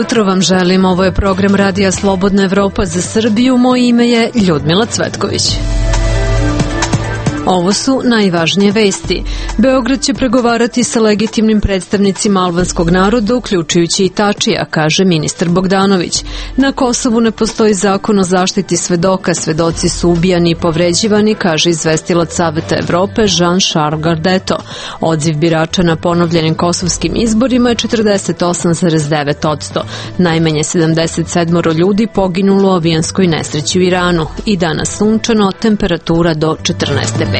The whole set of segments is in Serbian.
jutro vam želim, ovo je program Radija Slobodna Evropa za Srbiju, moje ime je Ljudmila Cvetković. Ovo su najvažnije vesti. Beograd će pregovarati sa legitimnim predstavnicima albanskog naroda, uključujući i Tačija, kaže ministar Bogdanović. Na Kosovu ne postoji zakon o zaštiti svedoka, svedoci su ubijani i povređivani, kaže izvestilac Saveta Evrope Jean-Charles Gardeto. Odziv birača na ponovljenim kosovskim izborima je 48,9%. Najmanje 77 ljudi poginulo u avijanskoj nesreći u Iranu. I danas sunčano, temperatura do 14 stepeni.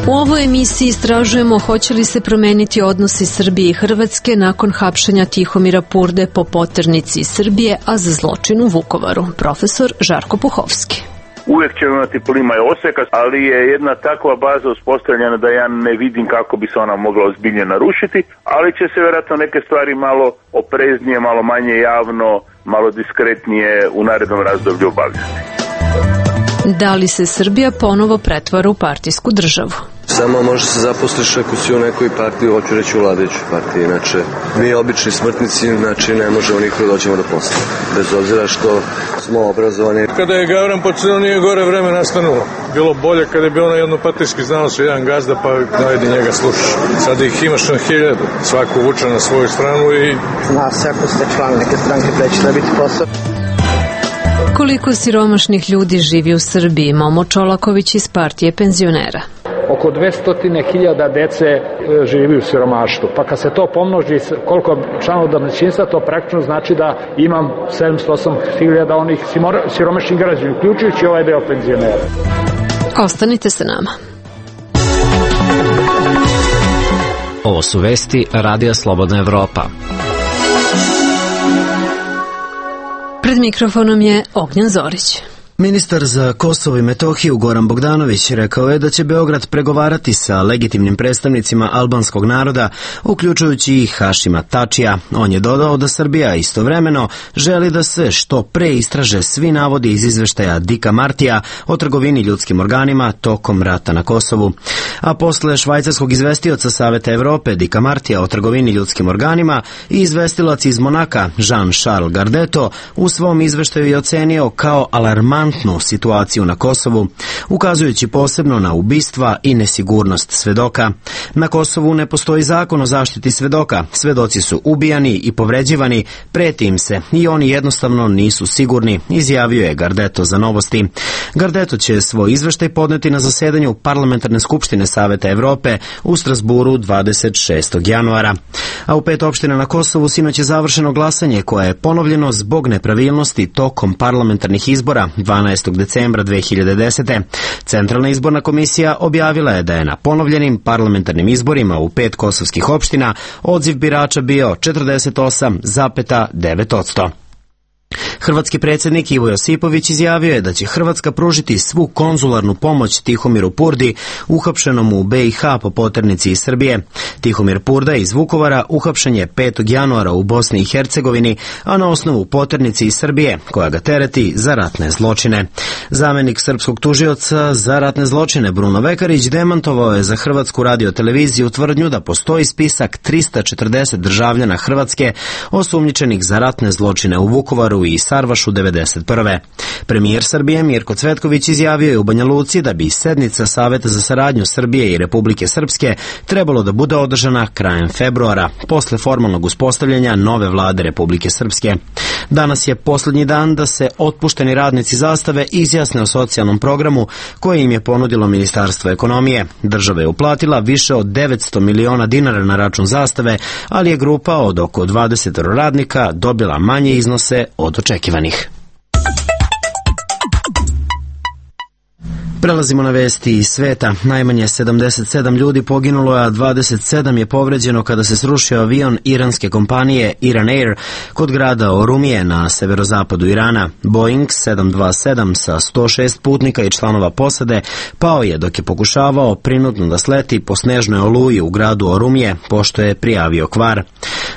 U ovoj emisiji istražujemo hoće li se promeniti odnosi Srbije i Hrvatske nakon hapšenja Tihomira Purde po poternici Srbije, a za zločin u Vukovaru. Profesor Žarko Puhovski. Uvijek ćemo imati plima i oseka, ali je jedna takva baza uspostavljena da ja ne vidim kako bi se ona mogla ozbiljnije narušiti, ali će se vjerojatno neke stvari malo opreznije, malo manje javno, malo diskretnije u narednom razdoblju obavljati. Da li se Srbija ponovo pretvara u partijsku državu? Samo može se zaposliš ako si u nekoj partiji, hoću reći u vladajućoj partiji, inače mi obični smrtnici, znači ne možemo nikada dođemo do posla, bez obzira što smo obrazovani. Kada je Gavran počeo, nije gore vreme nastanulo. Bilo bolje kada je bilo na jednopartijski, znao se jedan gazda, pa najdi njega slušaš. Sada ih imaš na 1000, svako vuče na svoju stranu i... Zna se ako ste član neke stranke da će da biti posao. Koliko siromašnih ljudi živi u Srbiji? Momo Čolaković iz partije penzionera. Oko 200.000 dece živi u siromaštvu. Pa kad se to pomnoži koliko članova domaćinstva, to praktično znači da imam 708.000 onih siromašnih građana, uključujući ovaj deo penzionera. Ostanite sa nama. Ovo su vesti Radija Slobodna Evropa. Pred mikrofonom je Ognjen Zorić. Ministar za Kosovo i Metohiju Goran Bogdanović rekao je da će Beograd pregovarati sa legitimnim predstavnicima albanskog naroda, uključujući i Hašima Tačija. On je dodao da Srbija istovremeno želi da se što pre istraže svi navodi iz izveštaja Dika Martija o trgovini ljudskim organima tokom rata na Kosovu. A posle švajcarskog izvestioca Saveta Evrope Dika Martija o trgovini ljudskim organima i izvestilac iz Monaka Jean-Charles Gardeto u svom izveštaju je ocenio kao alarmantnu situaciju na Kosovu, ukazujući posebno na ubistva i nesigurnost svedoka. Na Kosovu ne postoji zakon o zaštiti svedoka, svedoci su ubijani i povređivani, preti im se i oni jednostavno nisu sigurni, izjavio je Gardeto za Novosti. Gardeto će svoj izveštaj podneti na zasedanju Parlamentarne skupštine Saveta Evrope u Strasburu 26. januara. A u 5 opština na Kosovu sinoć je završeno glasanje koje je ponovljeno zbog nepravilnosti tokom parlamentarnih izbora 12. decembra 2010. Centralna izborna komisija objavila je da je na ponovljenim parlamentarnim izborima u 5 kosovskih opština odziv birača bio 48,9%. Hrvatski predsjednik Ivo Josipović izjavio je da će Hrvatska pružiti svu konzularnu pomoć Tihomiru Purdi, uhapšenom u BiH po poternici iz Srbije. Tihomir Purda iz Vukovara uhapšen je 5. januara u Bosni i Hercegovini, a na osnovu poternici iz Srbije, koja ga tereti za ratne zločine. Zamenik srpskog tužioca za ratne zločine Bruno Vekarić demantovao je za Hrvatsku radioteleviziju tvrdnju da postoji spisak 340 državljana Hrvatske osumnjičenih za ratne zločine u Vukovaru i Sarvašu 1991. Premijer Srbije Mirko Cvetković izjavio je u Banja Luci da bi sednica Saveta za saradnju Srbije i Republike Srpske trebalo da bude održana krajem februara, posle formalnog uspostavljanja nove vlade Republike Srpske. Danas je poslednji dan da se otpušteni radnici Zastave izjasne o socijalnom programu koje im je ponudilo Ministarstvo ekonomije. Država je uplatila više od 900 miliona dinara na račun Zastave, ali je grupa od oko 20 radnika dobila manje iznose od očekivanih. Prelazimo na vesti iz sveta. Najmanje 77 ljudi poginulo, a 27 je povređeno kada se srušio avion iranske kompanije Iran Air kod grada Orumije na severozapadu Irana. Boeing 727 sa 106 putnika i članova posade pao je dok je pokušavao prinudno da sleti po snežnoj oluji u gradu Orumije, pošto je prijavio kvar.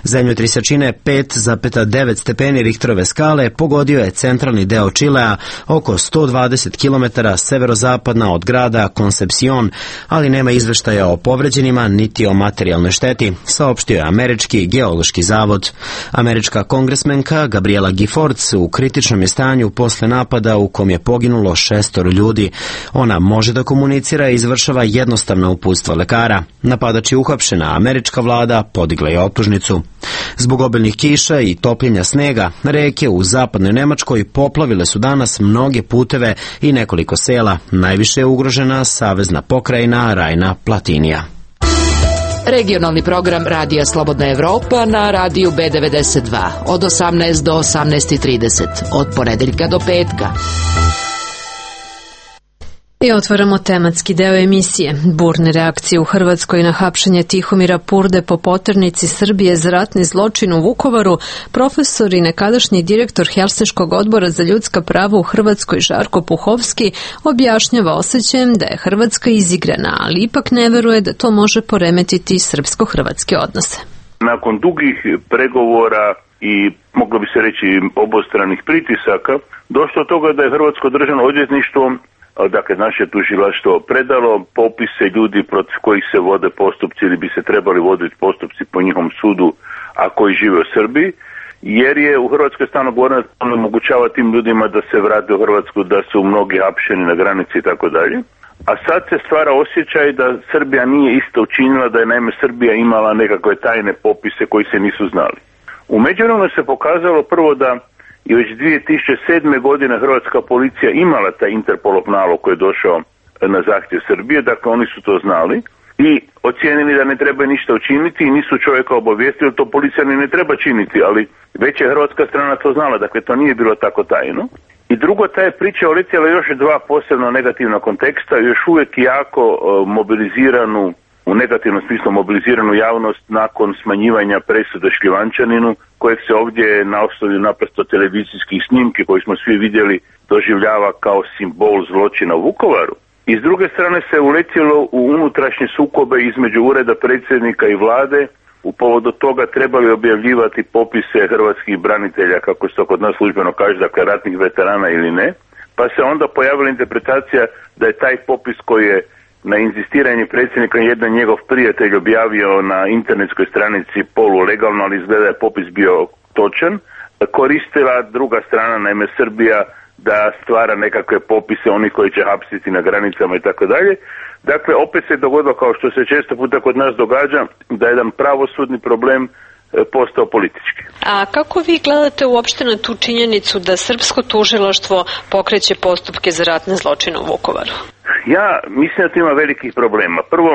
Zemljotrisačine 5,9 stepeni Richterove skale pogodio je centralni deo Čilea oko 120 km severozapadna od grada Concepcion, ali nema izveštaja o povređenima niti o materijalnoj šteti, saopštio je Američki geološki zavod. Američka kongresmenka Gabriela Giffords u kritičnom je stanju posle napada u kom je poginulo 6 ljudi. Ona može da komunicira i izvršava jednostavna uputstva lekara. Napadač je uhapšen, a američka vlada podigla je optužnicu. Zbog obilnih kiša i topljenja snega, reke u zapadnoj Nemačkoj poplavile su danas mnoge puteve i nekoliko sela. Najviše je ugrožena savezna pokrajina Rajna-Platinija. Regionalni program Radija Slobodna Evropa na radiju B92 od 18 do 18:30, od ponedeljka do petka. I otvaramo tematski deo emisije. Burne reakcije u Hrvatskoj na hapšenje Tihomira Purde po poternici Srbije za ratni zločin u Vukovaru, profesor i nekadašnji direktor Helsinškog odbora za ljudska prava u Hrvatskoj Žarko Puhovski objašnjava osjećajem da je Hrvatska izigrana, ali ipak ne veruje da to može poremetiti srpsko-hrvatske odnose. Nakon dugih pregovora i moglo bi se reći obostranih pritisaka, došlo do toga da je Hrvatsko državno odvjetništvo, dakle naše tužilaštvo, predalo popise ljudi protiv kojih se vode postupci ili bi se trebali voditi postupci po njihovom sudu, a koji žive u Srbiji, jer je u Hrvatskoj stalno govoreno da omogućava tim ljudima da se vrate u Hrvatsku, da su mnogi hapšeni na granici i tako dalje. A sad se stvara osjećaj da Srbija nije isto učinila, da je naime Srbija imala nekakve tajne popise koji se nisu znali. U međuvremenu se pokazalo prvo da i već 2007. godine hrvatska policija imala taj Interpolov nalog koji je došao na zahtjev Srbije, dakle oni su to znali i ocijenili da ne treba ništa učiniti i nisu čovjeka obavijestili, to policija ne treba činiti, ali već je hrvatska strana to znala, dakle to nije bilo tako tajno. I drugo, ta je priča uletjela još dva posebno negativna konteksta, još uvijek jako mobiliziranu, u negativnom smislu mobiliziranu javnost nakon smanjivanja presude Šljivančaninu, kojeg se ovdje na osnovi naprosto televizijskih snimki koji smo svi vidjeli doživljava kao simbol zločina u Vukovaru. I s druge strane se uletjelo u unutrašnje sukobe između ureda predsjednika i vlade, u povodu toga trebali objavljivati popise hrvatskih branitelja, kako se to kod nas službeno kaže, dakle ratnih veterana ili ne, pa se onda pojavila interpretacija da je taj popis koji je na inzistiranje predsjednika jedan njegov prijatelj objavio na internetskoj stranici polulegalno, ali izgleda je popis bio točan, koristila druga strana, naime Srbija, da stvara nekakve popise onih koji će hapsiti na granicama i tako dalje. Dakle, opet se dogodilo, kao što se često puta kod nas događa, da je jedan pravosudni problem postao politički. A kako vi gledate uopšte na tu činjenicu da srpsko tužilaštvo pokreće postupke za ratne zločine u Vukovaru? Ja mislim da to ima velikih problema. Prvo,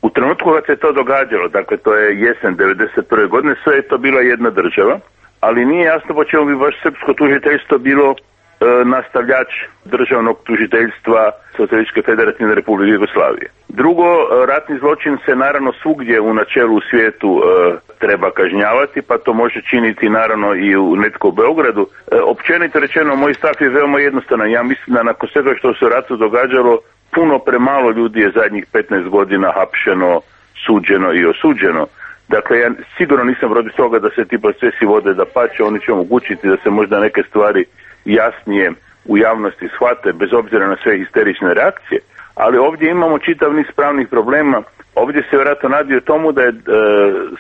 u trenutku kad se to događalo, dakle to je jesen 1991. godine, sve je to bila jedna država, ali nije jasno po čemu bi baš srpsko tužiteljstvo bilo nastavljač državnog tužiteljstva Socijalističke federativne republike Jugoslavije. Drugo, ratni zločin se naravno svugdje u načelu u svijetu treba kažnjavati, pa to može činiti naravno i u netko u Beogradu. Općenito rečeno, moj stav je veoma jednostavan. Ja mislim da nakon svega što se u ratu događalo, puno premalo ljudi je zadnjih 15 godina hapšeno, suđeno i osuđeno. Dakle, ja sigurno nisam protiv toga da se ti procesi vode dapače, oni će omogućiti da se možda neke stvari jasnije u javnosti shvate, bez obzira na sve histerične reakcije, ali ovdje imamo čitav niz pravnih problema. Ovdje se vjerojatno radi o tomu da je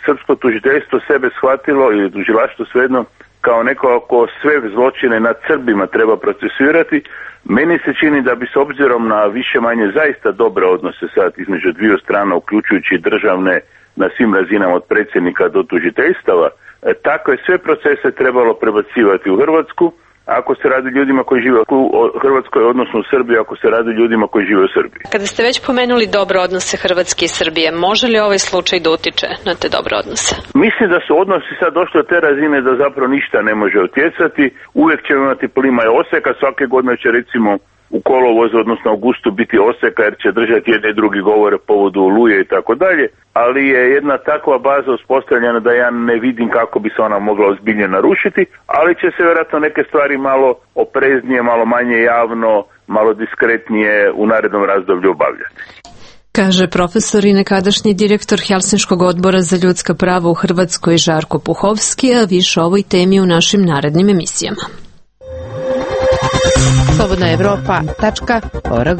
srpsko tužiteljstvo sebe shvatilo, ili tužilaštvo svejedno, kao neko ko sve zločine nad Srbima treba procesuirati. Meni se čini da bi s obzirom na više manje zaista dobre odnose sad između dviju strana, uključujući državne na svim razinama od predsjednika do tužiteljstava, takve sve procese trebalo prebacivati u Hrvatsku, ako se radi ljudima koji žive u Hrvatskoj, odnosno u Srbiji, ako se radi ljudima koji žive u Srbiji. Kada ste već pomenuli dobre odnose Hrvatske i Srbije, može li ovaj slučaj da utiče na te dobre odnose? Mislim da su odnosi sad došli od te razine da zapravo ništa ne može utjecati. Uvijek ćemo imati plima i Oseka, svake godine će recimo u kolovozu, odnosno augustu, biti Oseka jer će držati jedni i drugi govore povodu Oluje i tako dalje, ali je jedna takva baza uspostavljena da ja ne vidim kako bi se ona mogla ozbiljnije narušiti, ali će se vjerojatno neke stvari malo opreznije, malo manje javno, malo diskretnije u narednom razdoblju obavljati. Kaže profesor i nekadašnji direktor Helsinškog odbora za ljudska prava u Hrvatskoj Žarko Puhovski, a više o ovoj temi u našim narednim emisijama. slobodnaevropa.org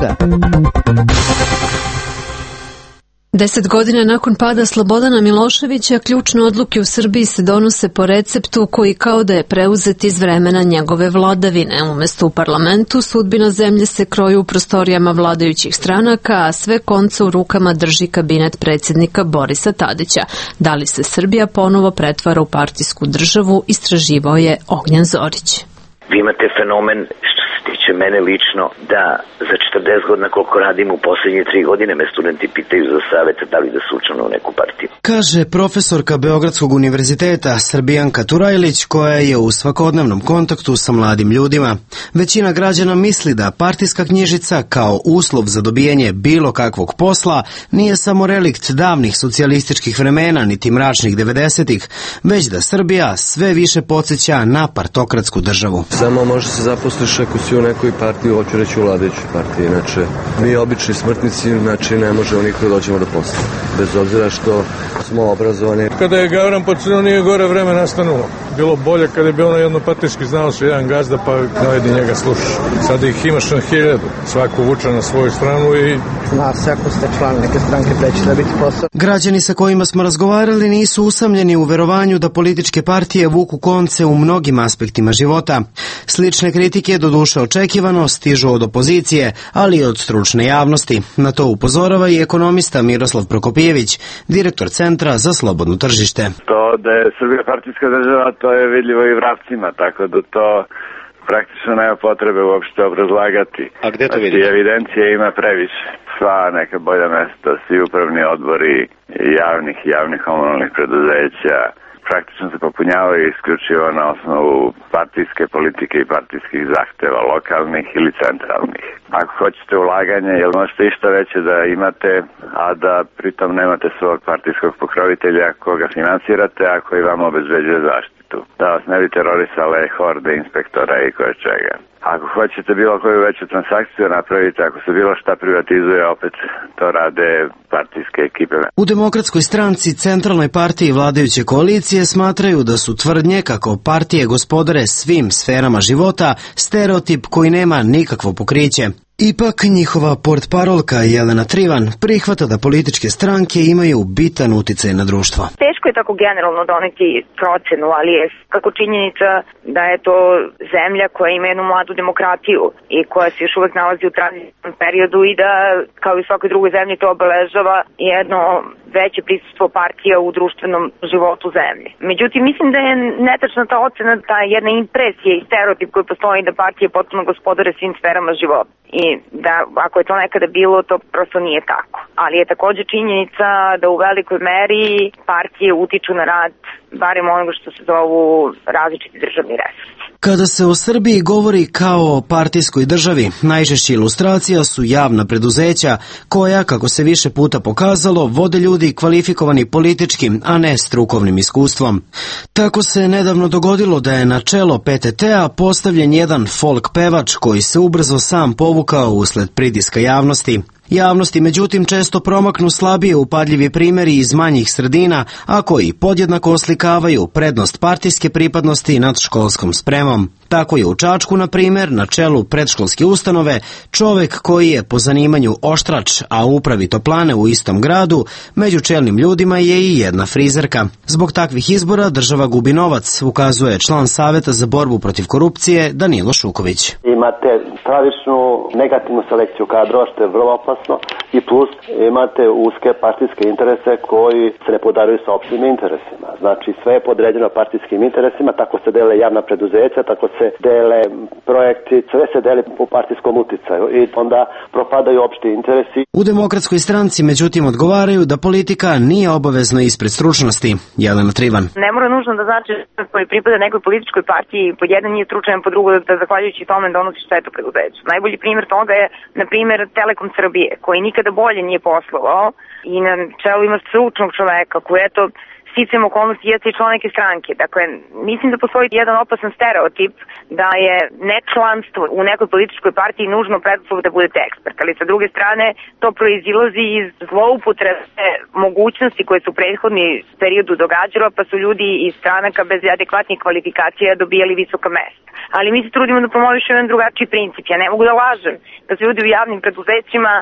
10 godina nakon pada Slobodana Miloševića, ključne odluke u Srbiji se donose po receptu koji kao da je preuzet iz vremena njegove vladavine. Umesto u parlamentu, sudbina zemlje se kroji u prostorijama vladajućih stranaka, a sve konce u rukama drži kabinet predsjednika Borisa Tadića. Da li se Srbija ponovo pretvara u partijsku državu, istraživao je Ognjen Zorić. Vi imate fenomen, što se tiče mene lično, da za 40 godina koliko radim, u posljednje 3 godine me studenti pitaju za savjet da li da se učlane u neku partiju. Kaže profesorka Beogradskog univerziteta Srbijanka Turajlić, koja je u svakodnevnom kontaktu sa mladim ljudima. Većina građana misli da partijska knjižica kao uslov za dobijanje bilo kakvog posla nije samo relikt davnih socijalističkih vremena niti mračnih 90-ih, već da Srbija sve više podsjeća na partokratsku državu. Samo može se zaposliš ako si u nekoj partiji, hoću reći u vladajućoj partiji. Inače, mi obični smrtnici, znači ne možemo nikada dođemo do posla. Bez obzira što smo obrazovani. Kada je Gavran pocenuo, nije gore vreme nastanulo. Bilo bolje kada je bio na jednopartijski, znao se jedan gazda, pa dajde njega slušaš. Sada ih imaš na 1000, svako vuče na svoju stranu i... Zna se ako ste član neke stranke da će dobiti posao. Građani sa kojima smo razgovarali nisu usamljeni u verovanju da političke partije vuku konce u mnogim aspektima života. Slične kritike, doduše očekivano, stižu od opozicije, ali i od stručne javnosti. Na to upozorava i ekonomista Miroslav Prokopijević, direktor Centra za slobodno tržište. To da je Srbija partijska država, to je vidljivo i vrapcima, tako da to praktično nema potrebe uopšte obrazlagati. A gde to vidite? Evidencije ima previše. Sva neka bolja mesta, svi upravni odbori javnih komunalnih preduzeća, praktično se popunjavaju isključivo na osnovu partijske politike i partijskih zahteva, lokalnih ili centralnih. Ako hoćete ulaganje, jel možete išta veće da imate, a da pritom nemate svog partijskog pokrovitelja koga finansirate, a koji vam obezbeđuje zaštitu. Da vas ne bi terorisale horde inspektora i koje čega. Ako hoćete bilo koju veću transakciju napraviti, ako se bilo šta privatizuje, opet to rade partijske ekipe. U Demokratskoj stranci, centralnoj partiji vladajuće koalicije, smatraju da su tvrdnje kako partije gospodare svim sferama života stereotip koji nema nikakvo pokriće. Ipak njihova portparolka Jelena Trivan prihvata da političke stranke imaju bitan uticaj na društvo. Teško je tako generalno doneti procenu, ali je kako činjenica da je to zemlja koja ima jednu mladu demokratiju i koja se još uvek nalazi u tranzitnom periodu i da, kao i svakoj drugoj zemlji, to obeležava jedno veće prisustvo partija u društvenom životu zemlje. Međutim, mislim da je netačna ta ocena, ta jedna impresija i stereotip koji postoji da partije potpuno gospodare svim sferama života. I da ako je to nekada bilo, to prosto nije tako. Ali je također činjenica da u velikoj meri partije utiču na rad barem onoga što se zovu različiti državni resursi. Kada se o Srbiji govori kao o partijskoj državi, najčešće ilustracija su javna preduzeća koja, kako se više puta pokazalo, vode ljudi kvalifikovani političkim, a ne strukovnim iskustvom. Tako se nedavno dogodilo da je na čelo PTT-a postavljen jedan folk pevač koji se ubrzo sam povukao usled pritiska javnosti. Javnosti, međutim, često promaknu slabije upadljivi primjeri iz manjih sredina, a koji podjednako oslikavaju prednost partijske pripadnosti nad školskom spremom. Tako je u Čačku, na primjer, na čelu predškolske ustanove, čovek koji je po zanimanju oštrač, a u upravi toplane u istom gradu, među čelnim ljudima je i jedna frizerka. Zbog takvih izbora država gubi novac, ukazuje član Saveta za borbu protiv korupcije Danilo Šuković. Imate stravičnu negativnu selekciju kadrova, što je vrlo opasno, i plus imate uske partijske interese koji se ne podaruju sa opštim interesima. Znači sve je podređeno partijskim interesima, tako se dele javna preduzeća, tako se dele projekti, sve se deli po partijskom uticaju i onda propadaju opšti interesi. U Demokratskoj stranci, međutim, odgovaraju da politika nije obavezna ispred stručnosti. Jelena Trivan. Ne mora nužno da znači koji pripada nekoj političkoj partiji, pod jedan nije stručan, po drugo da zahvaljujući tome donosi štetu preduzeću. Najbolji primjer toga je, na primjer, Telekom Srbije, koji nikada bolje nije poslovao i na čelu ima stručnog čoveka koji, eto, sticajem okolnosti jeste i član neke stranke. Dakle, mislim da postoji jedan opasan stereotip da je nečlanstvo u nekoj političkoj partiji nužno preduslov da budete ekspert, ali sa druge strane to proizilazi iz zloupotrebe mogućnosti koje su u prethodni periodu događala, pa su ljudi iz stranaka bez adekvatnih kvalifikacija dobijali visoka mesta. Ali mi se trudimo da promovišemo jedan drugačiji princip. Ja ne mogu da lažem da su ljudi u javnim preduzećima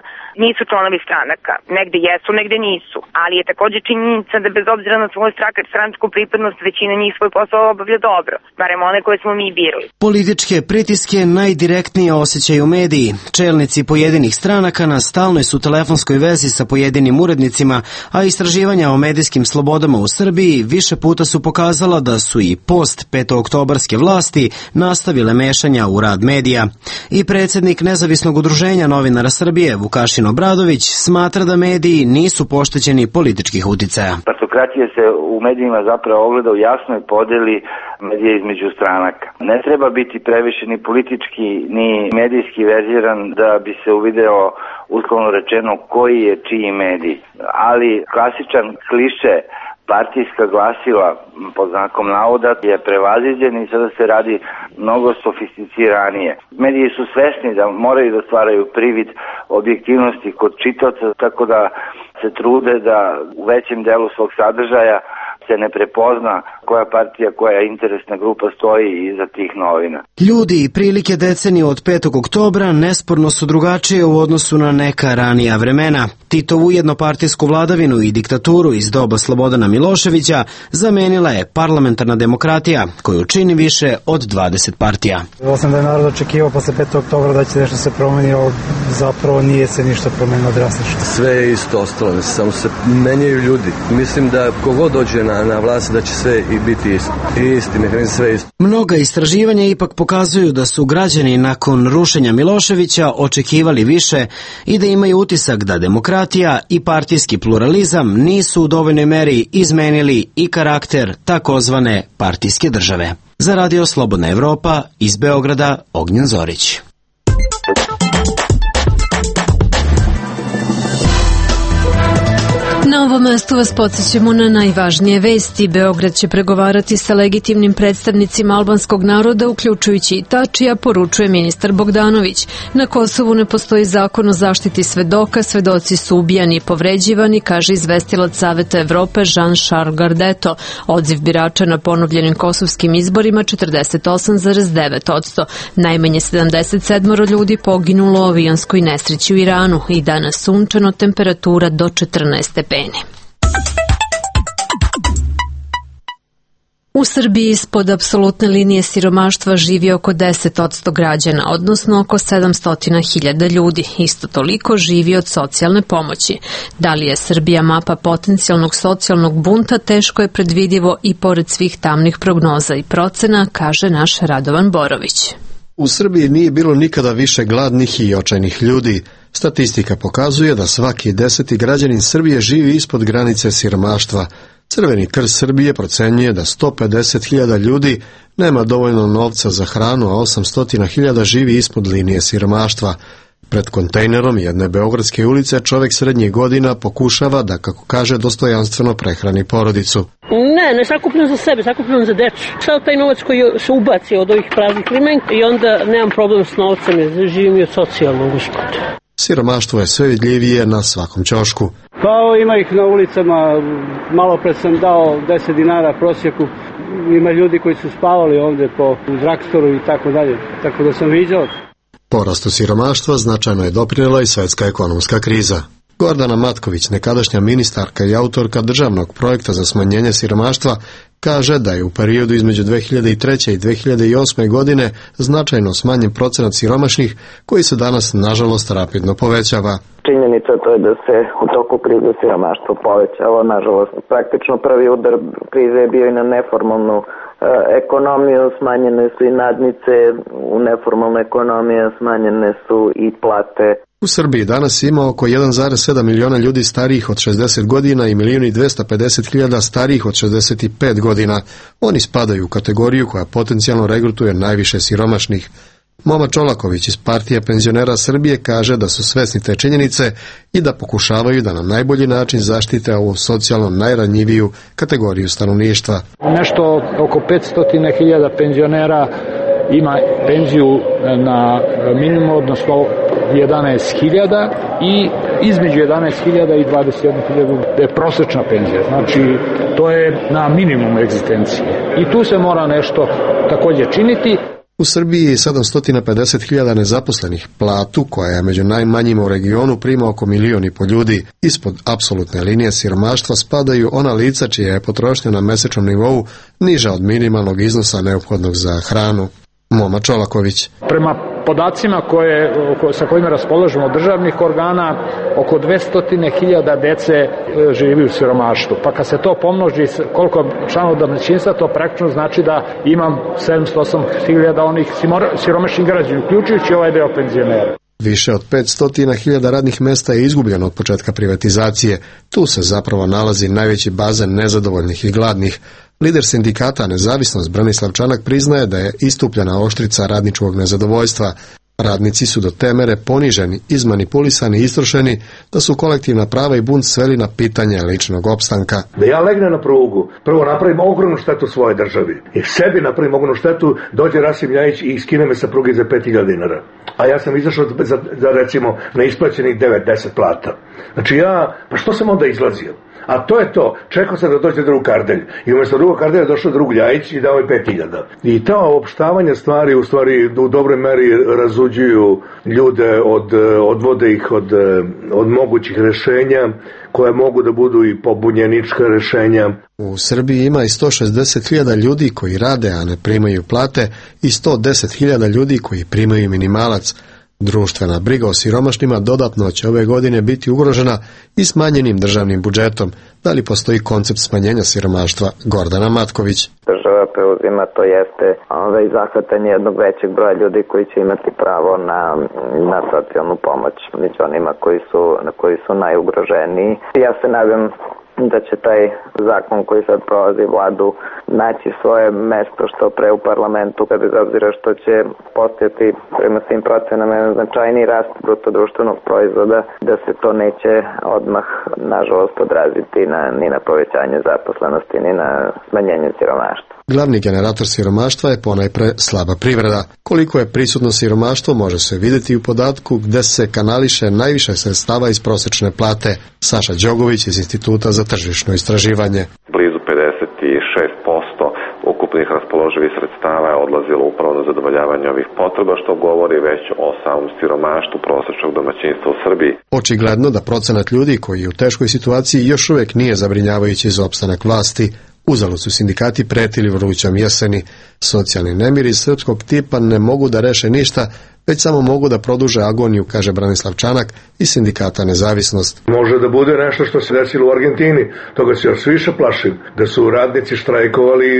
nisu članovi stranaka. Negde jesu, negde nisu. Ali je takođe činjenica da bez obzira na svoju stranačku pripadnost većina njih svoj posao obavlja dobro. Barem one koje smo mi birali. Političke pritiske najdirektnije osjećaju mediji. Čelnici pojedinih stranaka na stalnoj su telefonskoj vezi sa pojedinim urednicima, a istraživanja o medijskim slobodama u Srbiji više puta su pokazala da su i post petooktobarske vlasti nastavile mešanja u rad medija. I predsjednik Nezavisnog udruženja novinara Srbije, Vukašin Obradović, smatra da mediji nisu poštećeni političkih uticaja. Partokratija se u medijima zapravo ogleda u jasnoj podeli medija između stranaka. Ne treba biti previše ni politički, ni medijski verziran da bi se uvideo, uslovno rečeno, koji je čiji medij. Ali klasičan kliše partijska glasila pod znakom navoda je prevaziđen i sada se radi mnogo sofisticiranije. Mediji su svesni da moraju da stvaraju privid objektivnosti kod čitaoca, tako da se trude da u većem delu svog sadržaja se ne prepozna koja partija, koja interesna grupa stoji iza tih novina. Ljudi i prilike decenije od 5. oktobra nesporno su drugačije u odnosu na neka ranija vremena. Titovu jednopartijsku vladavinu i diktaturu iz doba Slobodana Miloševića zamenila je parlamentarna demokratija, koju čini više od 20 partija. Ovo sam da je narod očekivao posle 5. oktobra da će nešto se promeni, ali zapravo nije se ništa promenilo drastično. Sve je isto ostalo, samo se menjaju ljudi. Mislim da kogod dođe na vlast da će sve i biti isto. Isti mehanizam, sve isto. Mnoga istraživanja ipak pokazuju da su građani nakon rušenja Miloševića očekivali više i da imaju utisak da demokratija i partijski pluralizam nisu u dovoljnoj meri izmenili i karakter takozvane partijske države. Za Radio Slobodna Evropa iz Beograda, Ognjen Zorić. Na ovom mestu vas podsjećamo na najvažnije vesti. Beograd će pregovarati sa legitimnim predstavnicima albanskog naroda, uključujući i Tačija, poručuje ministar Bogdanović. Na Kosovu ne postoji zakon o zaštiti svedoka, svedoci su ubijani i povređivani, kaže izvestilac Saveta Evrope Jean-Charles Gardeto. Odziv birača na ponovljenim kosovskim izborima 48,9%. Najmanje 77 ljudi poginulo u avionskoj nesreći u Iranu i danas sunčano, temperatura do 14 stepeni. U Srbiji ispod apsolutne linije siromaštva živi oko 10% građana, odnosno oko 700.000 ljudi. Isto toliko živi od socijalne pomoći. Da li je Srbija mapa potencijalnog socijalnog bunta, teško je predvidivo i pored svih tamnih prognoza i procena, kaže naš Radovan Borović. U Srbiji nije bilo nikada više gladnih i očajnih ljudi. Statistika pokazuje da svaki 10. građanin Srbije živi ispod granice siromaštva. Crveni krst Srbije procenjuje da 150.000 ljudi nema dovoljno novca za hranu, a 800.000 živi ispod linije siromaštva. Pred kontejnerom jedne beogradske ulice čovjek srednjih godina pokušava da, kako kaže, dostojanstveno prehrani porodicu. Ne sakupljam za sebe, sakupljam za decu. Sao taj novac koji se ubaci od ovih praznih limenka i onda nemam problem s novcem, jer živim i od socijalnog gospoda. Siromaštvo je sve vidljivije na svakom ćošku. Pa ima ih na ulicama, malo pre sam dao 10 dinara prosjeku. Ima ljudi koji su spavali ovde po drugstoru i tako dalje, tako da sam viđao. Porastu siromaštva značajno je doprinela i svetska ekonomska kriza. Gordana Matković, nekadašnja ministarka i autorka državnog projekta za smanjenje siromaštva, kaže da je u periodu između 2003. i 2008. godine značajno smanjen procenat siromašnih, koji se danas, nažalost, rapidno povećava. Činjenica to je da se u toku krize siromaštvo povećalo, nažalost. Praktično prvi udar krize je bio i na neformalnu ekonomiju, smanjene su i nadnice, u neformalnu ekonomiju smanjene su i plate. U Srbiji danas ima oko 1,7 miliona ljudi starijih od 60 godina i 1.250.000 starijih od 65 godina. Oni spadaju u kategoriju koja potencijalno regrutuje najviše siromašnih. Moma Čolaković iz Partije penzionera Srbije kaže da su svesni te činjenice i da pokušavaju da na najbolji način zaštite ovu socijalno najranjiviju kategoriju stanovništva. Nešto oko 500.000 penzionera ima penziju na minimum, odnosno 11.000 i između 11.000 i 21.000 je prosječna penzija. Znači, to je na minimum egzistencije. I tu se mora nešto također činiti. U Srbiji je 750.000 nezaposlenih. Platu, koja je među najmanjima u regionu, prima oko 1,5 miliona ljudi. Ispod apsolutne linije siromaštva spadaju ona lica čija je potrošnja na mesečnom nivou niža od minimalnog iznosa neophodnog za hranu. Moma Čolaković. Prema podacima sa kojima raspolažemo od državnih organa, oko 200.000 dece živi u siromaštvu. Pa kad se to pomnoži koliko članova domaćinstva, to praktično znači da imam 708.000 onih siromašnih građana, uključujući ovaj deo penzionera. Više od 500.000 radnih mesta je izgubljeno od početka privatizacije. Tu se zapravo nalazi najveći bazen nezadovoljnih i gladnih. Lider sindikata Nezavisnost Branislav Čanak priznaje da je istupljena oštrica radničkog nezadovoljstva. Radnici su do te mere poniženi, izmanipulisani i istrošeni da su kolektivna prava i bunt sveli na pitanje ličnog opstanka. Da ja legnem na prugu, prvo napravim ogromnu štetu svojoj državi i sebi napravim ogromnu štetu, dođe Rasim Ljajić i skine me sa pruge za 5.000 dinara. A ja sam izašao za recimo neisplaćenih 9-10 plata. Znači pa što sam onda izlazio? A to je to, čekao sam da dođe drug Kardelj i umjesto drugog Kardelja došao drug Ljajić i dao je 5.000. I ta opštavanja stvari u stvari u dobroj meri razuđuju ljude, odvode ih od mogućih rešenja koje mogu da budu i pobunjenička rešenja. U Srbiji ima i 160.000 ljudi koji rade, a ne primaju plate, i 110.000 ljudi koji primaju minimalac. Društvena briga o siromašnima dodatno će ove godine biti ugrožena i smanjenim državnim budžetom. Da li postoji koncept smanjenja siromaštva? Gordana Matković. Država preuzima, to jeste zahvatanje jednog većeg broja ljudi koji će imati pravo na socijalnu pomoć među onima koji su najugroženiji. Ja se nadam da će taj zakon koji sad prolazi vladu naći svoje mesto što pre u parlamentu, kada bez obzira što će postojati prema svim procenama značajniji rast bruto društvenog proizvoda, da se to neće odmah nažalost odraziti ni na povećanje zaposlenosti, ni na smanjenje siromaštva. Glavni generator siromaštva je ponajpre slaba privreda. Koliko je prisutno siromaštvo može se vidjeti u podatku gde se kanališe najviše sredstava iz prosečne plate. Saša Đogović iz Instituta za tržišno istraživanje. Blizu 56% ukupnih raspoloživih sredstava je odlazilo upravo na zadovoljavanje ovih potreba, što govori već o samom siromaštvu prosečnog domaćinstva u Srbiji. Očigledno da procenat ljudi koji je u teškoj situaciji još uvijek nije zabrinjavajući za opstanak vlasti. Uzalud su sindikati pretili vrućom jeseni. Socijalni nemiri iz srpskog tipa ne mogu da reše ništa, već samo mogu da produže agoniju, kaže Branislav Čanak iz sindikata Nezavisnost. Može da bude nešto što se desilo u Argentini, toga se još više plašim, da su radnici štrajkovali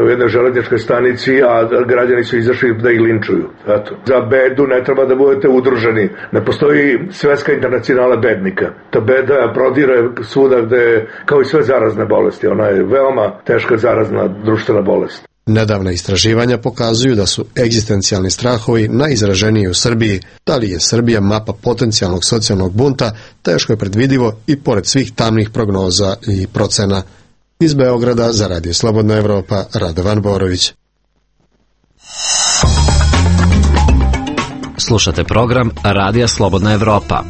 u jednoj železničkoj stanici, a građani su izašli da ih linčuju. Eto. Za bedu ne treba da budete udruženi. Ne postoji svetska internacionala bednika. Ta beda prodire svuda gde, kao i sve zarazne bolesti. Ona je veoma teška zarazna društvena bolest. Nedavna istraživanja pokazuju da su egzistencijalni strahovi najizraženiji u Srbiji. Da li je Srbija mapa potencijalnog socijalnog bunta, teško je predvidivo i pored svih tamnih prognoza i procena. Iz Beograda za Radio Slobodna Evropa, Radovan Borović. Slušate program Radija Slobodna Evropa.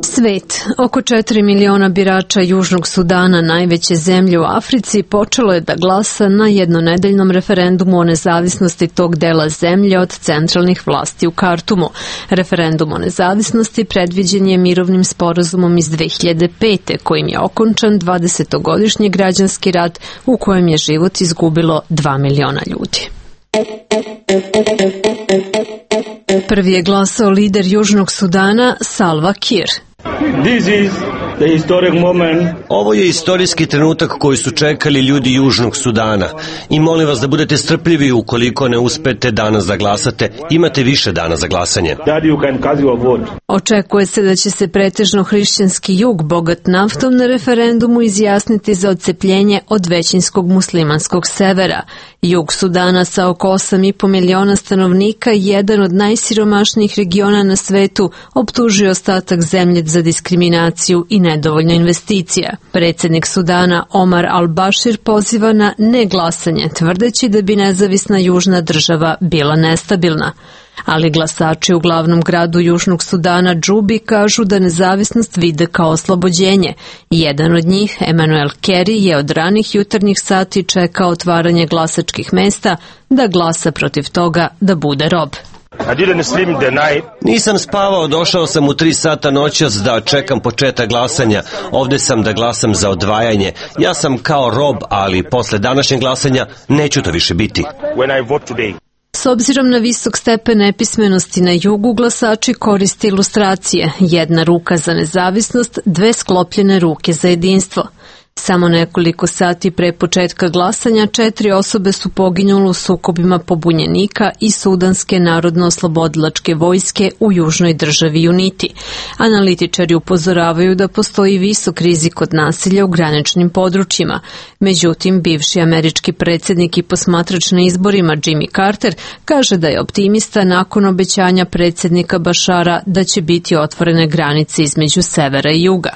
Svet. Oko 4 miliona birača Južnog Sudana, najveće zemlje u Africi, počelo je da glasa na jednonedeljnom referendumu o nezavisnosti tog dela zemlje od centralnih vlasti u Kartumu. Referendum o nezavisnosti predviđen je mirovnim sporazumom iz 2005. kojim je okončan 20-godišnji građanski rat u kojem je život izgubilo 2 miliona ljudi. Prvi je glasao lider Južnog Sudana Salva Kiir. This is Ovo je istorijski trenutak koji su čekali ljudi Južnog Sudana i molim vas da budete strpljivi ukoliko ne uspete danas da glasate. Imate više dana za glasanje. Očekuje se da će se pretežno hrišćanski jug, bogat naftom, na referendumu izjasniti za odcepljenje od većinskog muslimanskog severa. Jug Sudana sa oko 8,5 miliona stanovnika, jedan od najsiromašnijih regiona na svetu, optužuje ostatak zemlje za diskriminaciju i nedovoljno investicija. Predsjednik Sudana Omar al-Bashir poziva na neglasanje, tvrdeći da bi nezavisna južna država bila nestabilna. Ali glasači u glavnom gradu Južnog Sudana, Džubi, kažu da nezavisnost vide kao oslobođenje. Jedan od njih, Emmanuel Kerry, je od ranih jutarnjih sati čekao otvaranje glasačkih mesta da glasa protiv toga da bude rob. Nisam spavao, došao sam u 3 sata noćas da čekam početak glasanja. Ovde sam da glasam za odvajanje. Ja sam kao rob, ali posle današnjeg glasanja neću to više biti. S obzirom na visok stepen nepismenosti na jugu, glasači koriste ilustracije. Jedna ruka za nezavisnost, 2 sklopljene ruke za jedinstvo. Samo nekoliko sati pre početka glasanja 4 osobe su poginule u sukobima pobunjenika i Sudanske narodno-oslobodilačke vojske u južnoj državi Unity. Analitičari upozoravaju da postoji visok rizik od nasilja u graničnim područjima. Međutim, bivši američki predsjednik i posmatrač na izborima Jimmy Carter kaže da je optimista nakon obećanja predsjednika Bašara da će biti otvorene granice između severa i juga.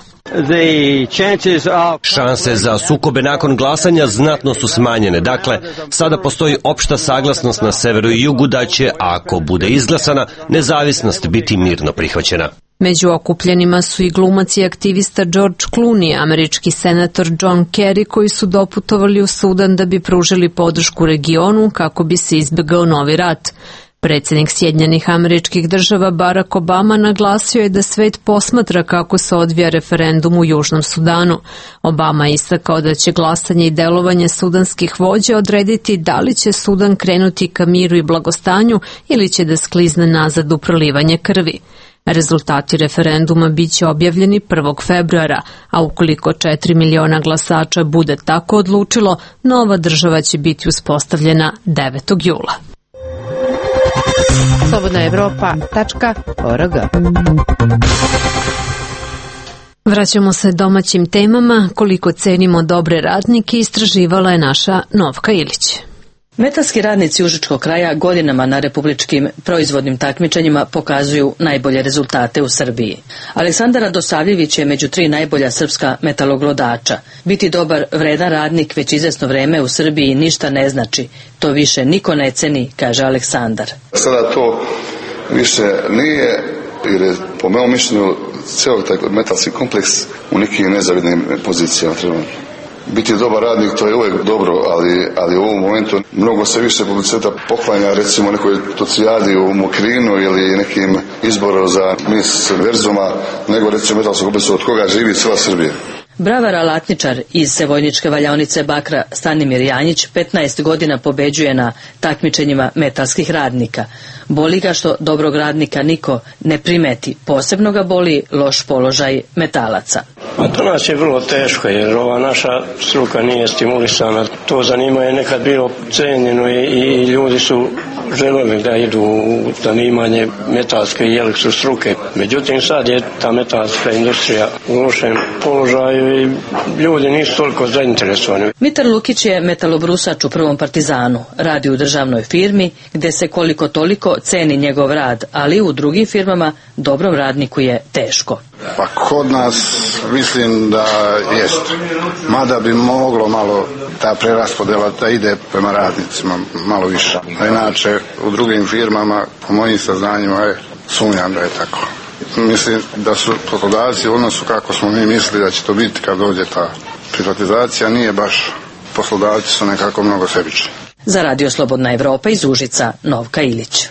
Šanse za sukobe nakon glasanja znatno su smanjene. Dakle, sada postoji opšta saglasnost na severu i jugu da će, ako bude izglasana, nezavisnost biti mirno prihvaćena. Među okupljenima su i glumac i aktivista George Clooney, američki senator John Kerry, koji su doputovali u Sudan da bi pružili podršku regionu kako bi se izbegao novi rat. Predsjednik Sjedinjenih Američkih Država Barack Obama naglasio je da svet posmatra kako se odvija referendum u Južnom Sudanu. Obama je istakao da će glasanje i delovanje sudanskih vođa odrediti da li će Sudan krenuti ka miru i blagostanju ili će da sklizne nazad u prolivanje krvi. Rezultati referenduma biće objavljeni 1. februara, a ukoliko 4 miliona glasača bude tako odlučilo, nova država će biti uspostavljena 9. jula. slobodnaevropa.org. Vraćamo se domaćim temama. Koliko cenimo dobre radnike istraživala je naša Novka Ilić. Metalski radnici užičkog kraja godinama na republičkim proizvodnim takmičenjima pokazuju najbolje rezultate u Srbiji. Aleksandar Radosavljević je među 3 najbolja srpska metaloglodača. Biti dobar, vredan radnik već izvesno vreme u Srbiji ništa ne znači. To više niko ne ceni, kaže Aleksandar. Sada to više nije, jer je po mojom mišljenju cijel taj metalski kompleks u nekim nezavidnim pozicijama treba. Biti dobar radnik, to je uvijek dobro, ali u ovom momentu mnogo se više publiciteta poklanja recimo nekoj tocijadi u Mokrinu ili nekim izboru za mis Verzuma, nego recimo metalskog kompleksu od koga živi cijela Srbija. Bravar alatničar iz Sevojničke valjaonice Bakra Stanimir Janjić 15 godina pobeđuje na takmičenjima metalskih radnika. Boli ga što dobrog radnika niko ne primeti, posebno ga boli loš položaj metalaca. A to nas je vrlo teško jer ova naša struka nije stimulisana. To zanimanje je nekad bilo cenjeno i ljudi su želeli da idu u zanimanje metalske i elektrostruke. Međutim, sad je ta metalska industrija u lošem položaju i ljudi nisu toliko zainteresovani. Mitar Lukić je metalobrusač u Prvom Partizanu. Radi u državnoj firmi gde se koliko toliko ceni njegov rad, ali u drugim firmama dobrom radniku je teško. Pa kod nas mislim da jest. Mada bi moglo malo ta preraspodela da ide prema radnicima malo više. A inače u drugim firmama, po mojim saznanjima, sumnjam da je tako. Mislim da su poslodavci u odnosu kako smo mi mislili da će to biti kad dođe ta privatizacija, nije baš, poslodavci su nekako mnogo sebični. Za Radio Slobodna Evropa iz Užica, Novka Ilić.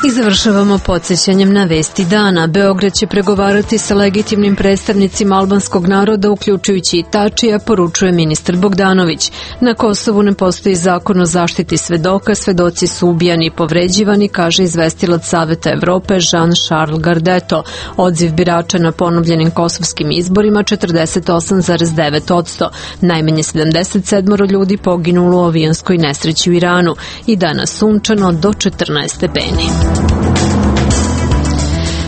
I završavamo podsjećanjem na vesti dana. Beograd će pregovarati sa legitimnim predstavnicima albanskog naroda, uključujući i Tačija, poručuje ministar Bogdanović. Na Kosovu ne postoji zakon o zaštiti svedoka, svedoci su ubijani i povređivani, kaže izvestilac Saveta Evrope Jean-Charles Gardeto. Odziv birača na ponovljenim kosovskim izborima 48,9%. Najmanje 77 ljudi poginulo u avionskoj nesreći u Iranu. I danas sunčano do 14 stepeni.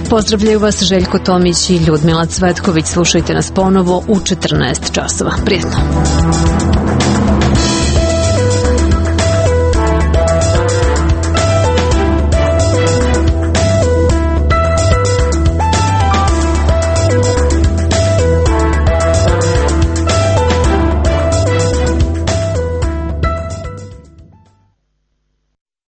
Pozdravljaju vas Željko Tomić i Ljudmila Cvetković. Slušajte nas ponovo u 14 časova. Prijetno.